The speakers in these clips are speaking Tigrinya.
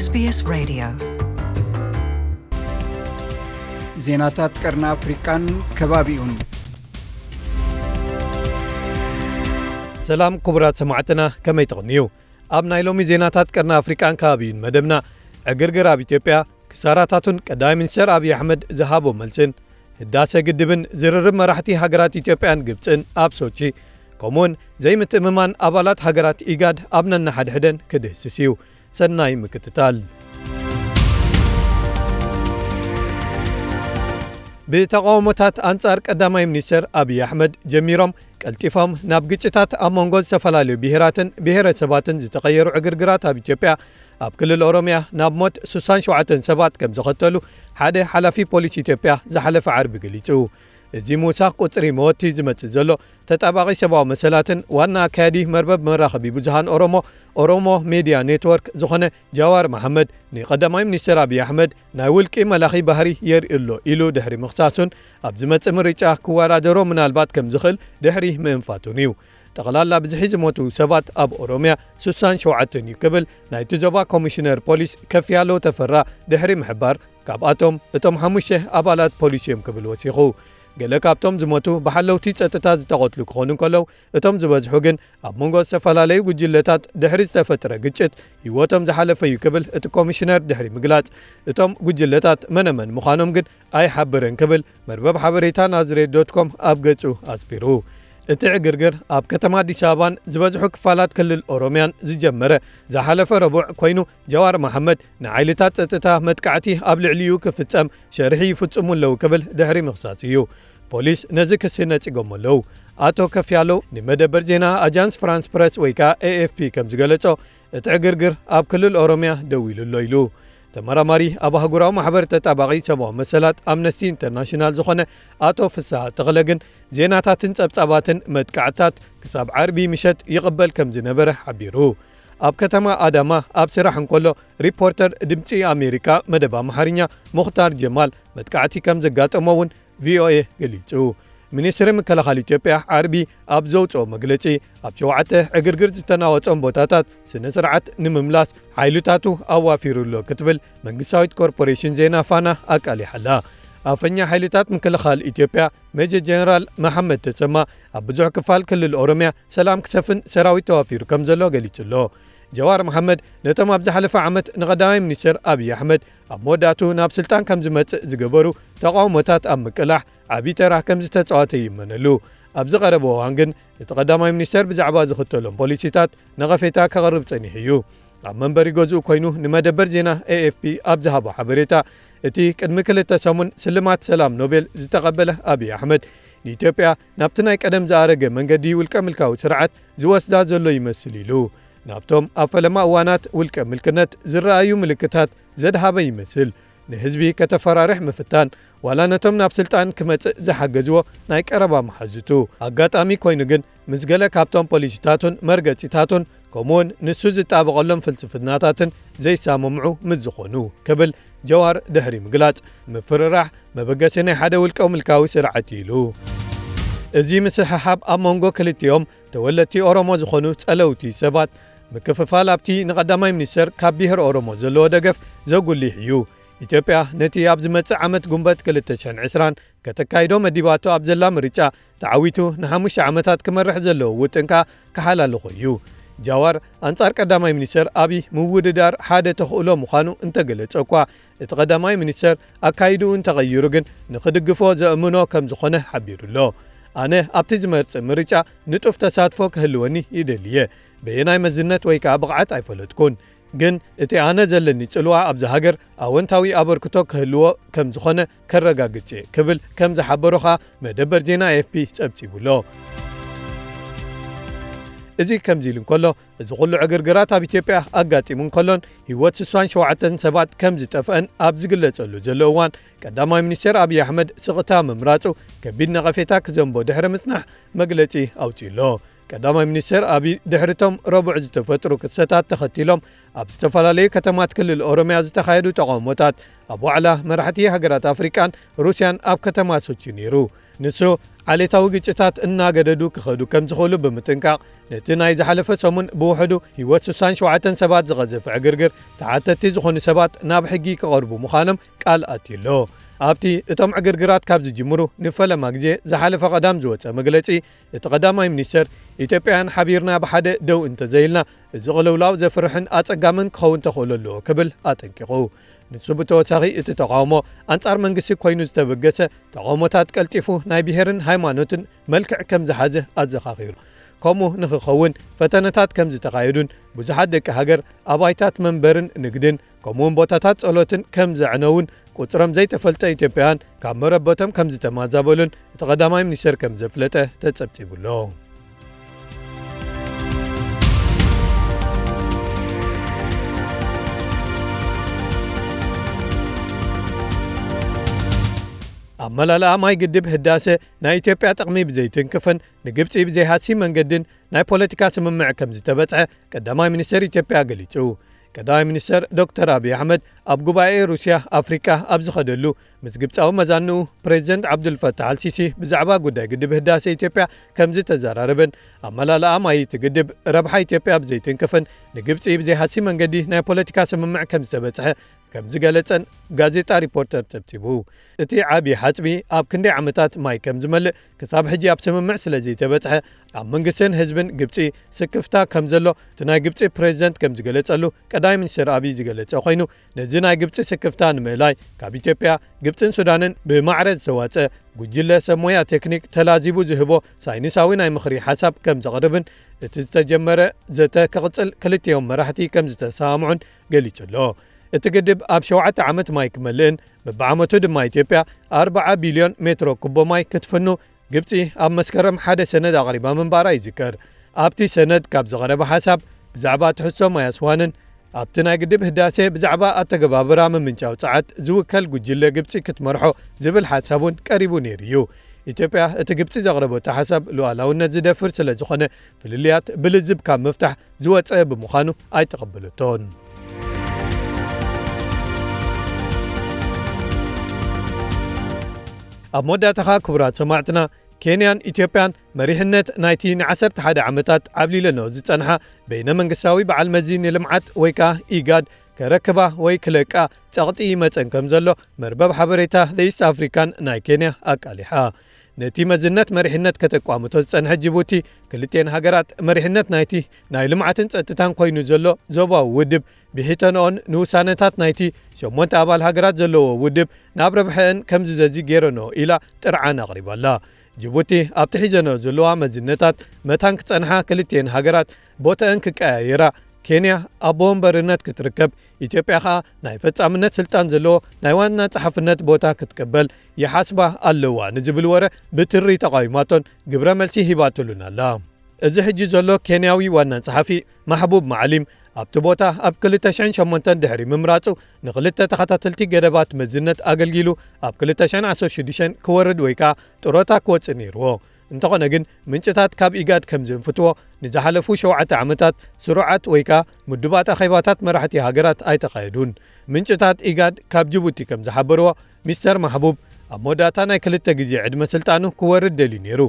SBS Radio. ዜናታት ቀርኒ ኣፍሪቃን ከባቢኡን። ሰላም ክቡራት ሰማዕትና፣ ከመይ ትቕንዩ? ኣብ ናይ ሎሚ ዜናታት ቀርኒ ኣፍሪቃን ከባቢኡን መደብና፣ ዕግርግር ኣብ ኢትዮጵያ፣ ክሳራታቱን ቀዳማይ ሚኒስተር ኣብይ ኣሕመድ ዝሃቦ መልስን፣ ህዳሰ ግድብን ዝርርብ መራሕቲ ሃገራት ኢትዮጵያን ግብጽን ኣብ ሶቺ፣ ከምኡውን ዘይምትእምማን ኣባላት ሃገራት ኢጋድ ኣብ ነንሓድሕደን ክድህስስ እዩ። ሰናይ ምክትታል። ብተቓውሞታት ኣንጻር ቀዳማይ ሚኒስተር ኣብይ ኣሕመድ ጀሚሮም፣ ቀልጢፎም ናብ ግጭታት ኣብ መንጎ ዝተፈላለዩ ብሄራትን ብሄረሰባትን ዝተቐየሩ ዕግርግራት ኣብ ኢትዮጵያ፣ ኣብ ክልል ኦሮምያ ናብ ሞት ሱሳን ሸውዓተን ሰባት ከም ዘኸተሉ ሓደ ሓላፊ ፖሊስ ኢትዮጵያ ዝሓለፈ ዓርቢ ገሊጹ። እዚ ምውሳኽ ቁጽሪ መወቲ ዝመጽእ ዘሎ፣ ተጣባቒ ሰብኣዊ መሰላትን ዋና ኣካያዲ መርበብ መራኸቢ ብዙሃን ኦሮሞ፣ ኦሮሞ ሜድያ ኔትወርክ ዝኾነ ጃዋር መሓመድ፣ ንቀዳማይ ሚኒስተር ኣብይ ኣሕመድ ናይ ውልቂ መላኺ ባህሪ የርኢ ኣሎ ኢሉ ድሕሪ ምኽሳሱን፣ ኣብ ዝመጽእ ምርጫ ክወዳደሮ ምናልባት ከም ዝኽእል ድሕሪ ምእንፋቱን እዩ። ጠቕላላ ብዝሒ ዝሞቱ ሰባት ኣብ ኦሮምያ ሱሳን ሸውዓተን እዩ ክብል ናይቲ ዞባ ኮሚሽነር ፖሊስ ከፍያለው ተፈራ ድሕሪ ምሕባር፣ ካብኣቶም እቶም ሓሙሽተ ኣባላት ፖሊስ እዮም ክብል ወሲኹ። ገለ ካብቶም ዝሞቱ ብሓለውቲ ጸጥታ ዝተቐትሉ ክኾኑ እንከለዉ፣ እቶም ዝበዝሑ ግን ኣብ መንጎ ዝተፈላለዩ ጉጅለታት ድሕሪ ዝተፈጥረ ግጭት ህይወቶም ዝሓለፈ እዩ ክብል እቲ ኮሚሽነር ድሕሪ ምግላጽ፣ እቶም ጉጅለታት መነመን ምዃኖም ግን ኣይሓብርን ክብል መርበብ ሓበሬታ ናዝሬት ዶት ኮም ኣብ ገጹ ኣስፊሩ። እቲ ዕግርግር ኣብ ከተማ ኣዲስ ኣበባን ዝበዝሑ ክፋላት ክልል ኦሮምያን ዝጀመረ ዝሓለፈ ረቡዕ ኮይኑ፣ ጃዋር መሓመድ ንሓይልታት ጸጥታ መጥቃዕቲ ኣብ ልዕሊኡ ክፍጸም ሸርሒ ይፍጽሙ ኣለዉ ክብል ድሕሪ ምኽሳስ እዩ። ፖሊስ ነዚ ክሲ ነጺጎም ኣለዉ። ኣቶ ከፍያለው ንመደበር ዜና ኣጃንስ ፍራንስ ፕረስ ወይ ከኣ ኤ ኤፍ ፒ ከም ዝገለጾ፣ እቲ ዕግርግር ኣብ ክልል ኦሮምያ ደው ኢሉ ኣሎ ኢሉ። ተመራማሪ ኣብ ኣህጉራዊ ማሕበር ተጣባቒ ሰብኣዊ መሰላት ኣምነስቲ ኢንተርናሽናል ዝኾነ ኣቶ ፍስሃ ተኽለ ግን፣ ዜናታትን ጸብጻባትን መጥቃዕታት ክሳብ ዓርቢ ምሸት ይቕበል ከም ዝነበረ ሓቢሩ። ኣብ ከተማ ኣዳማ ኣብ ስራሕ እንከሎ፣ ሪፖርተር ድምጺ ኣሜሪካ መደብ ኣምሓርኛ ሙኽታር ጀማል መጥቃዕቲ ከም ዘጋጠሞ እውን ቪ ኦ ኤ ገሊጹ። ሚኒስትሪ ምክልኻል ኢትዮጵያ ዓርቢ ኣብ ዘውጽኦ መግለጺ፣ ኣብ ሸውዓተ ዕግርግር ዝተናወጾም ቦታታት ስነ ስርዓት ንምምላስ ሓይልታቱ ኣዋፊሩ ኣሎ ክትብል መንግስታዊት ኮርፖሬሽን ዜና ፋና ኣቃሊሓ ኣላ። ኣፈኛ ሓይልታት ምክልኻል ኢትዮጵያ ሜጀር ጀነራል መሓመድ ተሰማ፣ ኣብ ብዙሕ ክፋል ክልል ኦሮምያ ሰላም ክሰፍን ሰራዊት ተዋፊሩ ከም ዘሎ ገሊጹ ኣሎ። ጀዋር መሓመድ ነቶም ኣብ ዝሓለፈ ዓመት ንቐዳማይ ሚኒስትር ኣብይ ኣሕመድ ኣብ መወዳእቱ ናብ ስልጣን ከም ዝመጽእ ዝገበሩ ተቓውሞታት ኣብ ምቅላሕ ዓቢ ተራ ከም ዝተጻወተ ይእመነሉ። ኣብዚ ቀረበ እዋን ግን እቲ ቀዳማይ ሚኒስተር ብዛዕባ ዝኽተሎም ፖሊሲታት ነቐፌታ ከቕርብ ጸኒሑ እዩ። ኣብ መንበሪ ገዝኡ ኮይኑ ንመደበር ዜና ኤ ኤፍ ፒ ኣብ ዝሃቦ ሓበሬታ፣ እቲ ቅድሚ ክልተ ሰሙን ስልማት ሰላም ኖቤል ዝተቐበለ ኣብይ ኣሕመድ፣ ንኢትዮጵያ ናብቲ ናይ ቀደም ዝኣረገ መንገዲ ውልቀ ምልካዊ ስርዓት ዝወስዳ ዘሎ ይመስል ኢሉ። ናብቶም ኣብ ፈለማ እዋናት ውልቀ ምልክነት ዝረኣዩ ምልክታት ዘድሃበ ይመስል። ንህዝቢ ከተፈራርሕ ምፍታን፣ ዋላ ነቶም ናብ ስልጣን ክመጽእ ዝሓገዝዎ ናይ ቀረባ መሓዙቱ። ኣጋጣሚ ኮይኑ ግን፣ ምስ ገለ ካብቶም ፖሊሲታቱን መርገጺታቱን፣ ከምኡውን ንሱ ዝጣበቐሎም ፍልስፍናታትን ዘይሰማምዑ ምስ ዝኾኑ፣ ክብል ጀዋር ድሕሪ ምግላጽ፣ ምፍርራሕ መበገሲ ናይ ሓደ ውልቀ ምልካዊ ስርዓት እዩ ኢሉ። እዚ ምስሕሓብ ኣብ መንጎ ክልቲኦም ተወለድቲ ኦሮሞ ዝኾኑ ጸለውቲ ሰባት፣ ምክፍፋል ኣብቲ ንቐዳማይ ሚኒስተር ካብ ብሄር ኦሮሞ ዘለዎ ደገፍ ዘጉልሕ እዩ። ኢትዮጵያ ነቲ ኣብ ዝመጽእ ዓመት ጉንበት ክልተ ሽሕን ዕስራን ከተካይዶ መዲባቶ ኣብ ዘላ ምርጫ ተዓዊቱ ንሓሙሽተ ዓመታት ክመርሕ ዘለዎ ውጥን ከኣ ክሓላልኾ እዩ። ጃዋር ኣንጻር ቀዳማይ ሚኒስተር ኣብይ ምውድዳር ሓደ ተኽእሎ ምዃኑ እንተገለጸ እኳ፣ እቲ ቀዳማይ ሚኒስተር ኣካይድኡ እንተቐይሩ ግን ንኽድግፎ ዘእምኖ ከም ዝኾነ ሓቢሩ ኣሎ። ኣነ ኣብቲ ዝመርጽእ ምርጫ ንጡፍ ተሳትፎ ክህልወኒ ይደሊ እየ። በየናይ መዝነት ወይ ከኣ ብቕዓት ኣይፈለጥኩን። ግን እቲ ኣነ ዘለኒ ጽልዋ ኣብዚ ሃገር ኣወንታዊ ኣበርክቶ ክህልዎ ከም ዝኾነ ከረጋግጽ እየ ክብል ከም ዝሓበሮ ኸኣ መደበር ዜና ኤ ኤፍ ፒ ጸብጺቡ ኣሎ። እዚ ከምዚ ኢሉ እንከሎ፣ እዚ ኩሉ ዕግርግራት ኣብ ኢትዮጵያ ኣጋጢሙ እንከሎን ህይወት ስሳን ሸውዓተን ሰባት ከም ዝጠፍአን ኣብ ዝግለጸሉ ዘሎ እዋን፣ ቀዳማይ ሚኒስተር ኣብይ ኣሕመድ ስቕታ ምምራጹ ከቢድ ነቐፌታ ክዘንቦ ድሕሪ ምጽናሕ መግለጺ ኣውጺኡ ኣሎ። ቀዳማይ ሚኒስትር ኣቢይ ድሕሪቶም ረቡዕ ዝተፈጥሩ ክስተታት ተኸቲሎም ኣብ ዝተፈላለዩ ከተማት ክልል ኦሮምያ ዝተኻየዱ ተቓውሞታት ኣብ ዋዕላ መራሕቲ ሃገራት ኣፍሪቃን ሩስያን ኣብ ከተማ ሶቺ ነይሩ። ንሱ ዓሌታዊ ግጭታት እናገደዱ ክኸዱ ከም ዝኽእሉ ብምጥንቃቕ፣ ነቲ ናይ ዝሓለፈ ሰሙን ብውሕዱ ህይወት ስሳን ሸውዓተን ሰባት ዝቐዘፈ ዕግርግር፣ ተሓተቲ ዝኾኑ ሰባት ናብ ሕጊ ክቐርቡ ምዃኖም ቃል ኣትዩ ኣሎ። ኣብቲ እቶም ዕግርግራት ካብ ዝጅምሩ ንፈለማ ግዜ ዝሓለፈ ቀዳም ዝወጸ መግለጺ፣ እቲ ቀዳማይ ሚኒስተር፣ ኢትዮጵያውያን ሓቢርና ብሓደ ደው እንተዘይልና፣ እዚ ቅልውላው ዘፍርሕን ኣጸጋምን ክኸውን ተኽእሎ ኣለዎ ክብል ኣጠንቂቑ። ንሱ ብተወሳኺ፣ እቲ ተቓውሞ ኣንጻር መንግስቲ ኮይኑ ዝተበገሰ ተቓውሞታት ቀልጢፉ ናይ ብሄርን ሃይማኖትን መልክዕ ከም ዝሓዘ ኣዘኻኺሩ። ከምኡ ንኽኸውን ፈተነታት ከም ዝተኻየዱን ብዙሓት ደቂ ሃገር ኣባይታት መንበርን ንግድን ከምኡውን ቦታታት ጸሎትን ከም ዘዕነውን ቁጽሮም ዘይተፈልጠ ኢትዮጵያውያን ካብ መረበቶም ከም ዝተማዛበሉን እቲ ቀዳማይ ሚኒስተር ከም ዘፍለጠ ተጸብጺቡ ኣሎ። ኣመላልኣ ማይ ግድብ ህዳሰ ናይ ኢትዮጵያ ጥቕሚ ብዘይትንክፍን ንግብጺ ብዘይሃሲ መንገድን ናይ ፖለቲካ ስምምዕ ከም ዝተበጽሐ ቀዳማይ ሚኒስተር ኢትዮጵያ ገሊጹ። ቀዳማይ ሚኒስተር ዶክተር ኣብይ ኣሕመድ ኣብ ጉባኤ ሩስያ ኣፍሪቃ ኣብ ዝኸደሉ፣ ምስ ግብጻዊ መዛንኡ ፕሬዚደንት ዓብዱልፈታሕ ኣልሲሲ ብዛዕባ ጉዳይ ግድብ ህዳሰ ኢትዮጵያ ከም ዝተዘራረበን ኣመላልኣ ማይ እቲ ግድብ ረብሓ ኢትዮጵያ ብዘይትንክፍን ንግብጺ ብዘይሃሲ መንገዲ ናይ ፖለቲካ ስምምዕ ከም ዝተበጽሐ ከም ዝገለጸን ጋዜጣ ሪፖርተር ጸብጺቡ። እቲ ዓቢ ሓጽቢ ኣብ ክንደይ ዓመታት ማይ ከም ዝመልእ ክሳብ ሕጂ ኣብ ስምምዕ ስለ ዘይተበጽሐ፣ ኣብ መንግስትን ህዝብን ግብጺ ስክፍታ ከም ዘሎ እቲ ናይ ግብጺ ፕሬዚደንት ከም ዝገለጸሉ ቀዳማይ ሚኒስተር ኣብይ ዝገለጸ ኮይኑ፣ ነዚ ናይ ግብጺ ስክፍታ ንምእላይ ካብ ኢትዮጵያ፣ ግብጽን ሱዳንን ብማዕረ ዝተዋጸ ጉጅለ ሰብ ሞያ ቴክኒክ ተላዚቡ ዝህቦ ሳይንሳዊ ናይ ምኽሪ ሓሳብ ከም ዘቕርብን እቲ ዝተጀመረ ዘተ ክቕጽል ክልቲኦም መራሕቲ ከም ዝተሰማምዑን ገሊጹ ኣሎ። እቲ ግድብ ኣብ ሸውዓተ ዓመት ማይ ክመልእን በብዓመቱ ድማ ኢትዮጵያ ኣርብዓ ቢልዮን ሜትሮ ኩቦ ማይ ክትፍኑ ግብጺ ኣብ መስከረም ሓደ ሰነድ ኣቕሪባ ምንባራ ይዝከር። ኣብቲ ሰነድ ካብ ዝቐረበ ሓሳብ ብዛዕባ ትሕዝቶ ማይ ኣስዋንን ኣብቲ ናይ ግድብ ህዳሴ ብዛዕባ ኣተገባብራ ምምንጫው ጸዓት ዝውከል ጉጅለ ግብጺ ክትመርሖ ዝብል ሓሳብ እውን ቀሪቡ ነይሩ እዩ። ኢትዮጵያ እቲ ግብጺ ዘቕረበቶ ሓሳብ ሉዓላውነት ዝደፍር ስለ ዝኾነ ፍልልያት ብልዝብ ካብ ምፍታሕ ዝወጸ ብምዃኑ ኣይተቐበለቶን። ኣብ መወዳእታኻ ክቡራት ሰማዕትና፣ ኬንያን ኢትዮጵያን መሪሕነት ናይቲ ንዓሰርተ ሓደ ዓመታት ዓብሊለንኦ ዝጸንሓ በይነ መንግስታዊ በዓል መዚ ንልምዓት ወይ ከኣ ኢጋድ ከረክባ ወይ ክለቃ ጸቕጢ ይመጸን ከም ዘሎ መርበብ ሓበሬታ The East African ናይ ኬንያ ኣቃሊሓ። ነቲ መዝነት መሪሕነት ከተቋምቶ ዝጸንሐት ጅቡቲ፣ ክልቲኤን ሃገራት መሪሕነት ናይቲ ናይ ልምዓትን ጸጥታን ኮይኑ ዘሎ ዞባዊ ውድብ ብሒተንኦን ንውሳነታት ናይቲ ሸሞንተ ኣባል ሃገራት ዘለዎ ውድብ ናብ ረብሐአን ከም ዝዘዚ ገይረንኦ ኢላ ጥርዓን ኣቕሪባ'ላ። ጅቡቲ ኣብቲ ሒዘንኦ ዘለዋ መዝነታት መታን ክጸንሓ ክልቲኤን ሃገራት ቦተአን ክቀያየራ፣ ኬንያ ኣቦ ወንበርነት ክትርከብ፣ ኢትዮጵያ ከኣ ናይ ፈጻምነት ስልጣን ዘለዎ ናይ ዋና ጸሓፍነት ቦታ ክትቅበል ይሓስባ ኣለዋ ንዝብል ወረ ብትሪ ተቓዊማቶን ግብረ መልሲ ሂባትሉን ኣላ። እዚ ሕጂ ዘሎ ኬንያዊ ዋና ጸሓፊ ማሕቡብ ማዓሊም ኣብቲ ቦታ ኣብ ክልተ ሽሕን ሸሞንተን ድሕሪ ምምራጹ ንኽልተ ተኸታተልቲ ገደባት መዝነት ኣገልጊሉ ኣብ ክልተ ሽሕን ዓሰርተ ሽዱሽተን ክወርድ ወይ ከኣ ጥሮታ ክወጽእ ነይርዎ። እንተኾነ ግን ምንጭታት ካብ ኢጋድ ከም ዘንፍትዎ ንዝሓለፉ ሸውዓተ ዓመታት ስሩዓት ወይ ከኣ ምዱባት ኣኼባታት መራሕቲ ሃገራት ኣይተኻየዱን። ምንጭታት ኢጋድ ካብ ጅቡቲ ከም ዝሓበርዎ ሚስተር ማሕቡብ ኣብ መወዳእታ ናይ ክልተ ግዜ ዕድመ ስልጣኑ ክወርድ ደልዩ ነይሩ።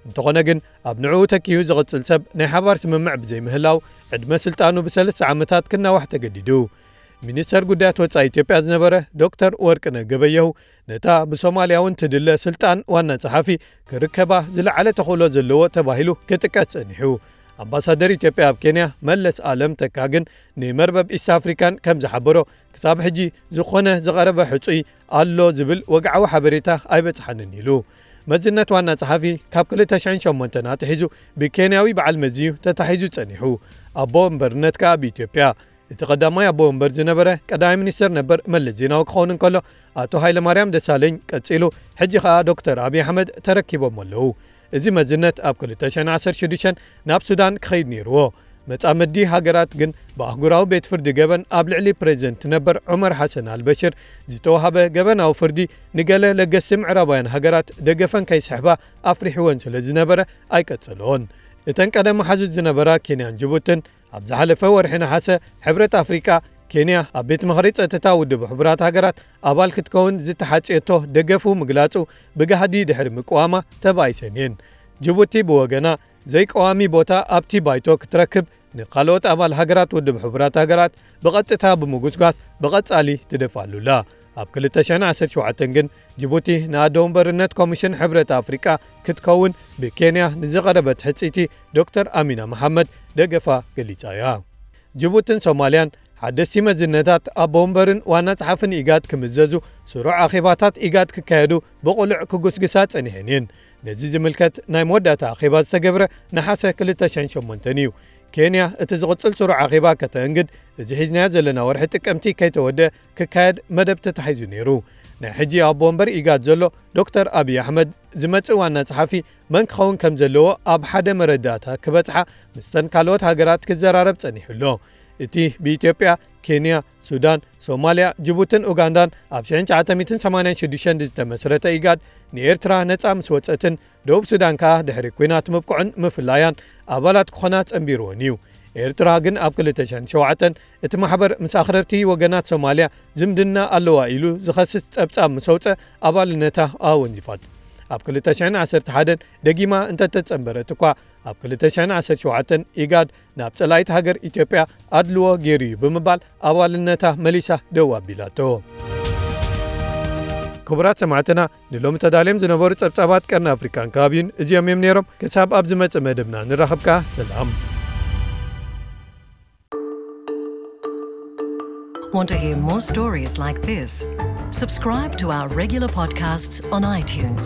እንተኾነ ግን ኣብ ንዕኡ ተኪኡ ዝቕጽል ሰብ ናይ ሓባር ስምምዕ ብዘይምህላው ዕድመ ስልጣኑ ብሰለስተ ዓመታት ክናዋሕ ተገዲዱ። ሚኒስተር ጉዳያት ወጻኢ ኢትዮጵያ ዝነበረ ዶክተር ወርቅነህ ገበየሁ ነታ ብሶማልያ እውን ትድለ ስልጣን ዋና ጸሓፊ ክርከባ ዝለዓለ ተኽእሎ ዘለዎ ተባሂሉ ክጥቀስ ጸኒሑ። ኣምባሳደር ኢትዮጵያ ኣብ ኬንያ መለስ ኣለም ተካ ግን ንመርበብ ኢስት ኣፍሪካን ከም ዝሓበሮ ክሳብ ሕጂ ዝኾነ ዝቐረበ ሕጹይ ኣሎ ዝብል ወግዓዊ ሓበሬታ ኣይበጽሓንን ኢሉ። መዝነት ዋና ጸሓፊ ካብ ክልተ ሽሕን ሸሞንተን ኣትሒዙ ብኬንያዊ በዓል መዚ እዩ ተታሒዙ ጸኒሑ። ኣቦ ወንበርነት ከኣ ብኢትዮጵያ። እቲ ቀዳማይ ኣቦ ወንበር ዝነበረ ቀዳማይ ሚኒስተር ነበር መለስ ዜናዊ ክኸውን እንከሎ፣ ኣቶ ሃይለማርያም ደሳለኝ ቀጺሉ፣ ሕጂ ከኣ ዶክተር ኣብይ ኣሕመድ ተረኪቦም ኣለዉ። እዚ መዝነት ኣብ ክልተ ሽሕን ዓሰርተ ሽዱሽተን ናብ ሱዳን ክኸይድ ነይርዎ። መጻምዲ ሃገራት ግን ብኣህጉራዊ ቤት ፍርዲ ገበን ኣብ ልዕሊ ፕሬዚደንት ነበር ዑመር ሓሰን ኣልበሽር ዝተዋህበ ገበናዊ ፍርዲ ንገለ ለገስቲ ምዕራባውያን ሃገራት ደገፈን ከይስሕባ ኣፍሪሕወን ስለ ዝነበረ ኣይቀጸልኦን። እተን ቀደም መሓዙት ዝነበራ ኬንያን ጅቡትን ኣብ ዝሓለፈ ወርሒ ነሓሰ ሕብረት ኣፍሪቃ ኬንያ ኣብ ቤት ምኽሪ ጸጥታ ውድብ ሕቡራት ሃገራት ኣባል ክትከውን ዝተሓጽየቶ ደገፉ ምግላጹ ብጋህዲ ድሕሪ ምቅዋማ ተባኢሰን እየን። ጅቡቲ ብወገና ዘይቀዋሚ ቦታ ኣብቲ ባይቶ ክትረክብ ንካልኦት ኣባል ሃገራት ውድብ ሕቡራት ሃገራት ብቐጥታ ብምጉስጓስ ብቐጻሊ ትደፋሉላ። ኣብ ክልተ ሽሕን ዓሰርተ ሸውዓተን ግን ጅቡቲ ንኣደ ወንበርነት ኮሚሽን ሕብረት ኣፍሪቃ ክትከውን ብኬንያ ንዝቐረበት ሕጽይቲ ዶክተር ኣሚና መሓመድ ደገፋ ገሊጻ እያ። ጅቡትን ሶማልያን ሓደስቲ መዝነታት ኣቦ ወንበርን ዋና ጸሓፍን ኢጋድ ክምዘዙ ስሩዕ ኣኼባታት ኢጋድ ክካየዱ ብቕሉዕ ክጉስግሳ ጸኒሐን እየን። ነዚ ዝምልከት ናይ መወዳእታ ኣኼባ ዝተገብረ ነሓሰ ክልተ ሽሕን ሸሞንተን እዩ። ኬንያ እቲ ዝቕጽል ስሩዕ ኣኼባ ከተእንግድ እዚ ሒዝናዮ ዘለና ወርሒ ጥቅምቲ ከይተወደ ክካየድ መደብ ተታሒዙ ነይሩ። ናይ ሕጂ ኣቦ ወንበር ኢጋድ ዘሎ ዶክተር ኣብይ ኣሕመድ ዝመጽእ ዋና ጸሓፊ መን ክኸውን ከም ዘለዎ ኣብ ሓደ መረዳእታ ክበጽሓ ምስተን ካልኦት ሃገራት ክዘራረብ ጸኒሑ ኣሎ። እቲ ብኢትዮጵያ፣ ኬንያ፣ ሱዳን፣ ሶማልያ፣ ጅቡትን ኡጋንዳን ኣብ ሽሕን ትሽዓተ ሚእትን ሰማንያን ሽዱሽተን ዝተመስረተ ኢጋድ ንኤርትራ ነጻ ምስ ወጸትን ደቡብ ሱዳን ከኣ ድሕሪ ኲናት ምብቅዑን ምፍላያን ኣባላት ክኾና ጸንቢርወን እዩ። ኤርትራ ግን ኣብ ክልተ ሽሕን ሸውዓተን እቲ ማሕበር ምስ ኣኽረርቲ ወገናት ሶማልያ ዝምድና ኣለዋ ኢሉ ዝኸስስ ጸብጻብ ምስ ኣውጸ ኣባልነታ ኣወንዚፋት። ኣብ ክልተ ሽሕን ዓሰርተ ሓደን ደጊማ እንተተጸንበረት እኳ ኣብ ክልተ ሽሕን ዓሰርተ ሸውዓተን ኢጋድ ናብ ጸላኢት ሃገር ኢትዮጵያ ኣድልዎ ገይሩ እዩ ብምባል ኣባልነታ መሊሳ ደው ኣቢላቶ። ክቡራት ሰማዕትና ንሎሚ ተዳልዮም ዝነበሩ ጸብጻባት ቀርኒ ኣፍሪካን ከባቢን እዚኦም እዮም ነይሮም። ክሳብ ኣብ ዝመጽእ መደብና ንራኸብካ ሰላም። Want to hear more stories like this? Subscribe to our regular podcasts on iTunes.